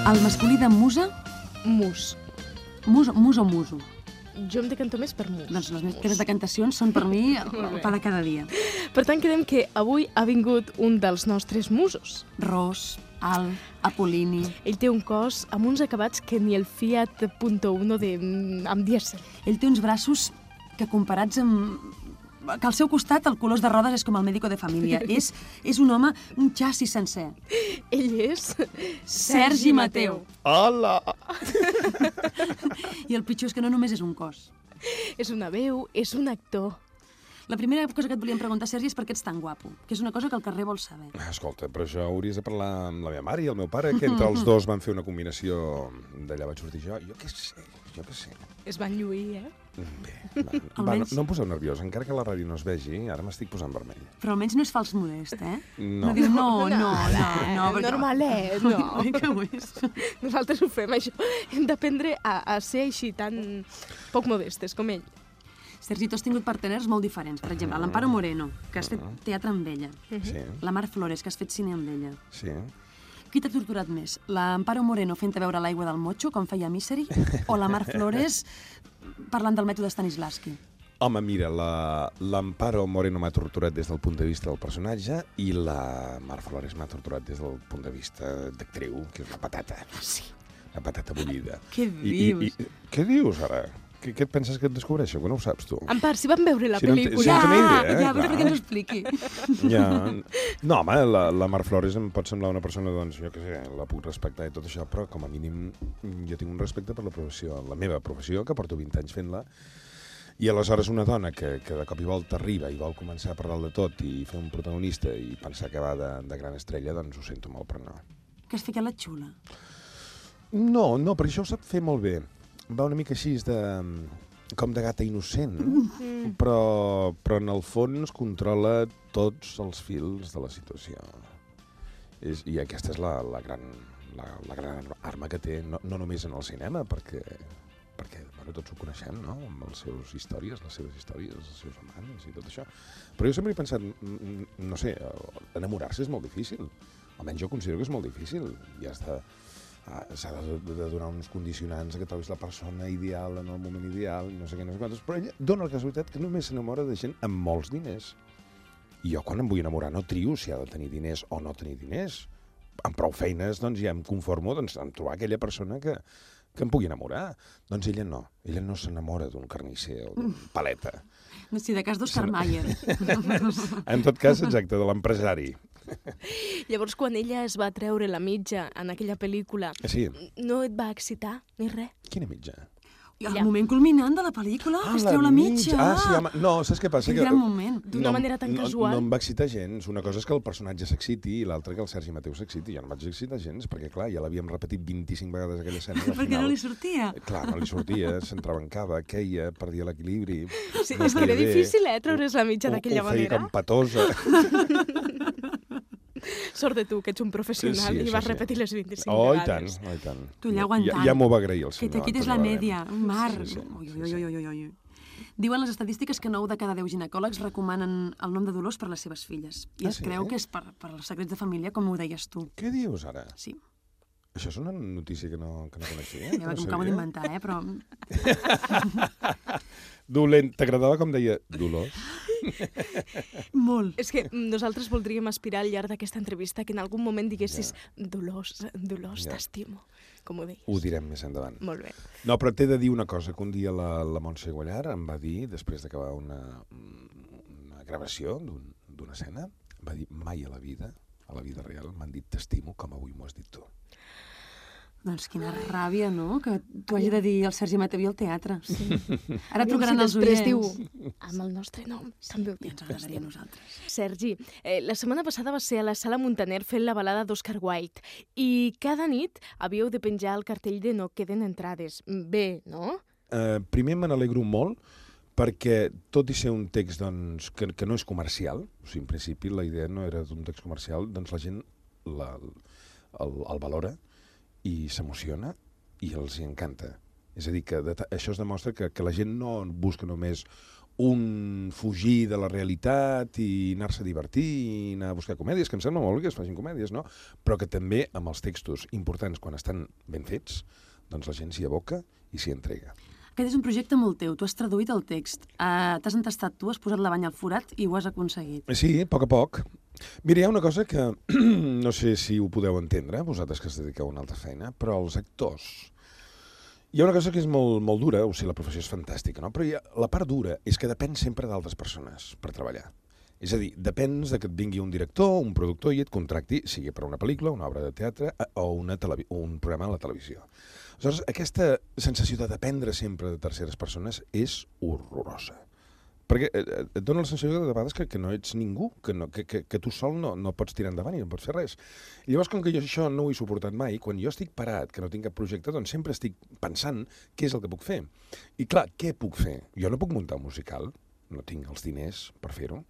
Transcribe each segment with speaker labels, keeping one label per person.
Speaker 1: El masculí de musa?
Speaker 2: Mus.
Speaker 1: Mus o muso?
Speaker 2: Jo em decanto més per mus.
Speaker 1: Doncs les meves decantacions són per mi el pa de cada dia.
Speaker 2: Per tant, quedem que avui ha vingut un dels nostres musos.
Speaker 1: Ros, Al, Apol·lini...
Speaker 2: Ell té un cos amb uns acabats que ni el Fiat Punto Uno amb dièsel.
Speaker 1: Ell té uns braços que comparats amb... que al seu costat el colors de rodes és com el médico de família. És un home, un xassis sencer.
Speaker 2: Ell és...
Speaker 1: Sergi Mateu.
Speaker 3: Hola!
Speaker 1: I el pitjor és que no només és un cos.
Speaker 2: És una veu, és un actor.
Speaker 1: La primera cosa que et volíem preguntar, Sergi, és per què ets tan guapo, que és una cosa que el carrer vol saber.
Speaker 3: Escolta, però això hauries de parlar amb la meva mare i el meu pare, que entre els dos van fer una combinació. D'allà vaig sortir jo. Jo què sé.
Speaker 2: Es van lluir, eh?
Speaker 3: Bé, va, no em poseu nerviós, encara que la ràdio no es vegi, ara m'estic posant vermell.
Speaker 1: Però almenys no és fals modest, eh?
Speaker 3: No.
Speaker 1: No diu no, perquè...
Speaker 2: Normalet, no.
Speaker 1: Oi que ho és?
Speaker 2: Nosaltres ho fem, això. Hem d'aprendre a ser així, tan poc modestes com ell.
Speaker 1: Sergi, tu has tingut parteners molt diferents. Per exemple, l'Amparo Moreno, que has fet teatre amb ella.
Speaker 3: Sí,
Speaker 1: La Mar Flores, que has fet cine amb ella.
Speaker 3: sí.
Speaker 1: Qui t'ha torturat més? L'Amparo Moreno fent-te veure l'aigua del motxo, com feia Misery? O la Mar Flores parlant del mètode Stanislavski?
Speaker 3: Home, mira, l'Amparo Moreno m'ha torturat des del punt de vista del personatge i la Mar Flores m'ha torturat des del punt de vista d'actriu, que és una patata.
Speaker 2: Sí.
Speaker 3: Una patata bullida.
Speaker 1: Què dius?
Speaker 3: Què dius, ara? Què et penses que et descobreixo? Que no ho saps, tu?
Speaker 2: En part, si vam veure la
Speaker 3: Si no en té-
Speaker 2: pel·lícula...
Speaker 3: si no tenia idea,
Speaker 1: Ja, però
Speaker 3: clar.
Speaker 1: perquè ens ho expliqui.
Speaker 3: Ja. No, home, la Mar Flores em pot semblar una persona, doncs, jo què sé, la puc respectar i tot això, però com a mínim jo tinc un respecte per la professió, la meva professió, que porto 20 anys fent-la, i aleshores una dona que de cop i volta arriba i vol començar per dalt de tot i fer un protagonista i pensar que va de gran estrella, doncs ho sento molt, però no.
Speaker 1: Que has ficat la xula.
Speaker 3: No, perquè això ho sap fer molt bé. Va una mica així com de gata innocent, però en el fons controla tots els fils de la situació. I aquesta és la gran arma que té, no només en el cinema, perquè bueno, tots ho coneixem, no?, amb les seves històries, els seus amants i tot això. Però jo sempre he pensat, no sé, enamorar-se és molt difícil. Almenys jo considero que és molt difícil. Ja està... s'ha de donar uns condicionants que trobis la persona ideal en el moment ideal, no sé què, no sé quantos, però ella dona la casualitat que només s'enamora de gent amb molts diners. I jo quan em vull enamorar no trio si ha de tenir diners o no tenir diners. Amb prou feines doncs ja em conformo en trobar aquella persona que em pugui enamorar. Doncs ella no s'enamora d'un carnisser o d'un paleta.
Speaker 1: Si de cas d'Oscar Mayer.
Speaker 3: En tot cas, exacte, de l'empresari.
Speaker 2: Llavors, quan ella es va treure la mitja en aquella pel·lícula,
Speaker 3: Sí.
Speaker 2: no et va excitar ni res?
Speaker 3: Quina mitja?
Speaker 1: I el moment culminant de la pel·lícula, que es treu la mitja.
Speaker 3: Sí, home. No, saps què passa?
Speaker 1: Quin gran moment.
Speaker 2: D'una manera tan casual.
Speaker 3: No em va excitar gens. Una cosa és que el personatge s'exciti i l'altra que el Sergi Mateu s'exiti. Jo no em vaig excitar gens, perquè, clar, ja l'havíem repetit 25 vegades aquella escena.
Speaker 1: Perquè no li sortia.
Speaker 3: Clar, no li sortia, s'entrebancava, queia, perdia l'equilibri.
Speaker 2: Sí, és que era difícil, treure's la mitja d'aquella
Speaker 3: Ho feia
Speaker 2: manera.
Speaker 3: com patosa.
Speaker 2: Sort de tu, que ets un professional i vas repetir les 25 vegades.
Speaker 3: I tant.
Speaker 1: Tu allà aguantant.
Speaker 3: Ja m'ho va agrair el senyor.
Speaker 1: Que te quites la
Speaker 3: Antonio
Speaker 1: media.
Speaker 3: Barem.
Speaker 1: Mar.
Speaker 3: Sí.
Speaker 1: Ui. Diuen les estadístiques que 9 de cada 10 ginecòlegs recomanen el nom de Dolors per les seves filles. I es creu que és per els secrets de família, com ho deies tu.
Speaker 3: Què dius ara?
Speaker 1: Sí.
Speaker 3: Això és una notícia que no coneixia.
Speaker 1: Ja m'acabo d'inventar, però...
Speaker 3: Dolent. T'agradava com deia Dolors?
Speaker 1: Molt.
Speaker 2: És que nosaltres voldríem aspirar al llarg d'aquesta entrevista que en algun moment diguessis Dolors, t'estimo, com ho deies.
Speaker 3: Ho direm més endavant.
Speaker 2: Molt bé.
Speaker 3: No, però t'he de dir una cosa, que un dia la Montse Guallar em va dir, després d'acabar una gravació d'una escena, em va dir, mai a la vida real, m'han dit t'estimo com avui m'ho has dit tu.
Speaker 1: Doncs quina ràbia, no?, que t'ho hagi de dir el Sergi Mateu i el teatre. Sí. Ara
Speaker 2: Aviam
Speaker 1: trucaran
Speaker 2: si
Speaker 1: els
Speaker 2: després
Speaker 1: oients.
Speaker 2: diu, amb el nostre nom, també ho
Speaker 1: I ens agradaria a nosaltres.
Speaker 2: Sergi, la setmana passada va ser a la Sala Muntaner fent la balada d'Oscar Wilde i cada nit havíeu de penjar el cartell de no queden entrades. Bé, no?
Speaker 3: Primer me n'alegro molt perquè, tot i ser un text doncs, que no és comercial, o sigui, en principi la idea no era d'un text comercial, doncs la gent el valora i s'emociona i els hi encanta. És a dir, que això es demostra que la gent no busca només un fugir de la realitat i anar-se a divertir i anar a buscar comèdies, que em sembla molt bé que es facin comèdies, no? Però que també amb els textos importants, quan estan ben fets, doncs la gent s'hi aboca i s'hi entrega.
Speaker 1: Aquest és un projecte molt teu. Tu has traduït el text, t'has entestat tu, has posat la banya al forat i ho has aconseguit.
Speaker 3: Sí, a poc. Mira, hi ha una cosa que no sé si ho podeu entendre, vosaltres que us dediqueu a una altra feina, però els actors... Hi ha una cosa que és molt dura, o sigui, la professió és fantàstica, no? Però la part dura és que depèn sempre d'altres persones per treballar. És a dir, depens de que et vingui un director, un productor i et contracti, sigui per una pel·lícula, una obra de teatre o un programa a la televisió. Aleshores, aquesta sensació de dependre sempre de terceres persones és horrorosa. Perquè et dona la sensació de vegades que no ets ningú, que tu sol no pots tirar endavant i no pots fer res. I llavors, com que jo això no ho he suportat mai, quan jo estic parat, que no tinc cap projecte, doncs sempre estic pensant què és el que puc fer. I clar, què puc fer? Jo no puc muntar un musical, no tinc els diners per fer-ho,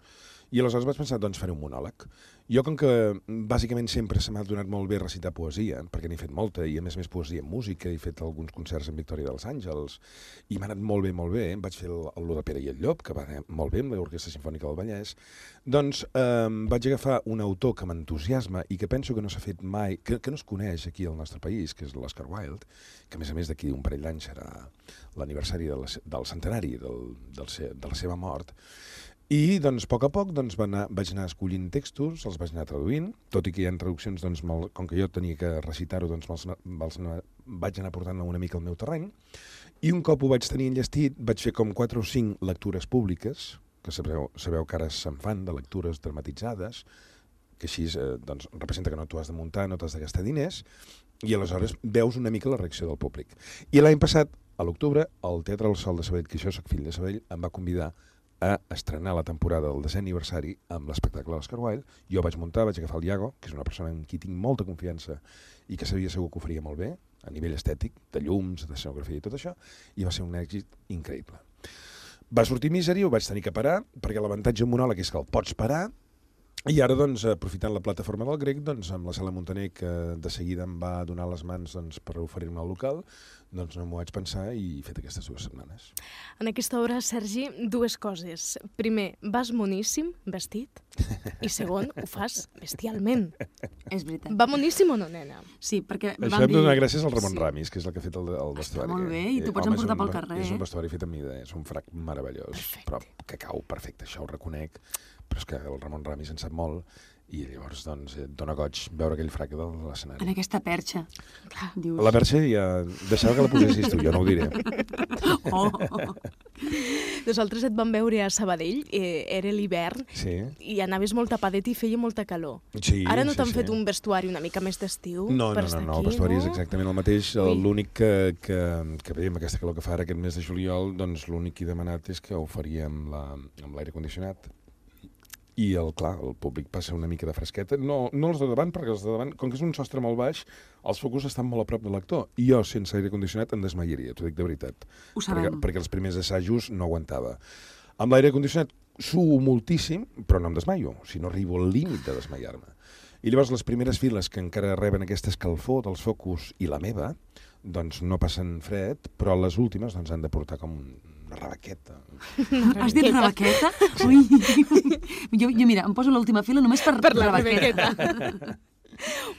Speaker 3: i aleshores vaig pensar, doncs faré un monòleg. Jo, com que bàsicament sempre se m'ha donat molt bé recitar poesia, perquè n'he fet molta, i a més poesia en música, he fet alguns concerts en Victòria dels Àngels, i m'ha anat molt bé, vaig fer el de Pere i el Llop, que va anar molt bé, amb l'Orquestra Simfònica del Vallès, doncs vaig agafar un autor que m'entusiasma i que penso que no s'ha fet mai, que no es coneix aquí al nostre país, que és l'Oscar Wilde, que a més d'aquí un parell d'anys serà l'aniversari del centenari de la seva mort. I, doncs, a poc, doncs, vaig anar escollint textos, els vaig anar traduint, tot i que hi ha traduccions, doncs, com que jo tenia que recitar-ho, doncs, vaig anar portant una mica al meu terreny, i un cop ho vaig tenir enllestit, vaig fer com 4 o 5 lectures públiques, que sabeu que ara se'n fan de lectures dramatitzades, que així doncs, representa que no t'ho has de muntar, no t'has de gastar diners, i aleshores veus una mica la reacció del públic. I l'any passat, a l'octubre, el Teatre del Sol de Sabadell, que jo soc fill de Sabadell, em va convidar a estrenar la temporada del 10è aniversari amb l'espectacle de l'Oscar Wilde. Jo vaig muntar, vaig agafar el Iago, que és una persona en qui tinc molta confiança i que sabia segur que ho faria molt bé, a nivell estètic, de llums, de escenografia i tot això, i va ser un èxit increïble. Va sortir Misery, ho vaig tenir que parar, perquè l'avantatge en monòleg és que el pots parar, i ara, doncs, aprofitant la plataforma del Grec, doncs, amb la Sala Muntaner, que de seguida em va donar les mans doncs, per oferir-me el local, doncs no m'ho vaig pensar i he fet aquestes 2 setmanes.
Speaker 2: En aquesta obra, Sergi, 2 coses. Primer, vas moníssim, vestit, i segon, ho fas bestialment.
Speaker 1: És veritat.
Speaker 2: Va moníssim o no, nena?
Speaker 1: Sí, perquè
Speaker 3: això hem de donar gràcies al Ramon Ramis, que és el que ha fet el vestuari.
Speaker 1: Està molt bé, i tu pots emportar pel carrer.
Speaker 3: És un vestuari fet a mida, és un frac meravellós,
Speaker 2: perfecte.
Speaker 3: Però que cau perfecte, això ho reconec, però és que el Ramon Ramis en sap molt, i llavors, doncs, et dona goig veure aquell frac de l'escenari.
Speaker 1: En aquesta perxa.
Speaker 2: Clar.
Speaker 1: Dius...
Speaker 3: La perxa ja... Deixava que la posessis tu, jo no ho diré.
Speaker 1: Oh.
Speaker 2: Nosaltres et vam veure a Sabadell, era l'hivern,
Speaker 3: Sí.
Speaker 2: i anaves molt tapadet i feia molta calor.
Speaker 3: Sí,
Speaker 2: Ara no t'han
Speaker 3: sí.
Speaker 2: fet un vestuari una mica més d'estiu
Speaker 3: No,
Speaker 2: per estar aquí,
Speaker 3: el vestuari
Speaker 2: no?
Speaker 3: és exactament el mateix. L'únic que veiem aquesta calor que fa ara aquest mes de juliol, doncs l'únic que he demanat és que ho faria amb l'aire condicionat. I, clar, el públic passa una mica de fresqueta. No els de davant, perquè els de davant, com que és un sostre molt baix, els focus estan molt a prop de l'actor. I jo, sense aire condicionat, em desmaiaria, t'ho dic de veritat.
Speaker 1: Ho sabem.
Speaker 3: Perquè els primers assajos no aguantava. Amb l'aire condicionat suo moltíssim, però no em desmaio, si no arribo al límit de desmaiar-me. I llavors les primeres files que encara reben aquesta escalfor dels focus i la meva, doncs no passen fred, però les últimes doncs, han de portar com una rebaqueta.
Speaker 1: Has dit rebaqueta? Ui. Jo, mira, em poso a l'última fila només per
Speaker 2: la
Speaker 1: rebaqueta.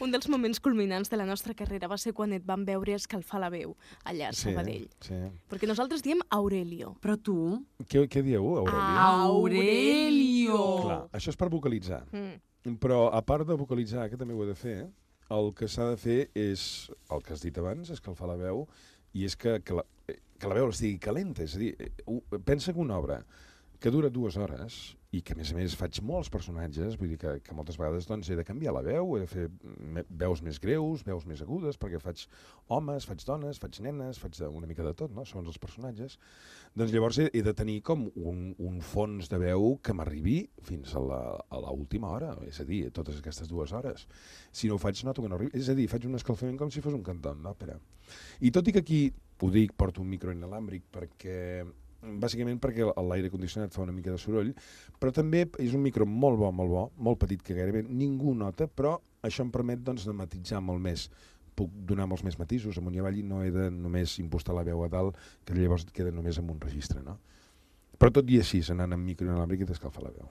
Speaker 2: Un dels moments culminants de la nostra carrera va ser quan et vam veure escalfar la veu allà a Sabadell.
Speaker 3: Sí.
Speaker 2: Perquè nosaltres diem Aurelio.
Speaker 1: Però tu...
Speaker 3: Què dieu, Aurelio?
Speaker 1: Aurelio!
Speaker 3: Clar, això és per vocalitzar. Però a part de vocalitzar, que també ho he de fer, el que s'ha de fer és, el que has dit abans, escalfar la veu, i és que la veu estigui calenta. És a dir, pensa que una obra que dura 2 hores i que, a més, faig molts personatges, vull dir que moltes vegades doncs, he de canviar la veu, he de fer veus més greus, veus més agudes, perquè faig homes, faig dones, faig nenes, faig una mica de tot, no?, segons els personatges. Doncs llavors he de tenir com un fons de veu que m'arribi fins a l'última hora, és a dir, totes aquestes 2 hores. Si no ho faig, noto que no arribi. És a dir, faig un escalfament com si fos un cantant d'òpera. I tot i que aquí, ho dic, porto un micro inalàmbric bàsicament perquè l'aire condicionat fa una mica de soroll, però també és un micro molt bo, molt petit, que gairebé ningú nota, però això em permet doncs, de matitzar molt més. Puc donar molts més matisos amunt i avall i no he de només impostar la veu a dalt, que llavors queda només en un registre, no? Però tot i així, anant amb micro inalàmbric i t'escalfa la veu.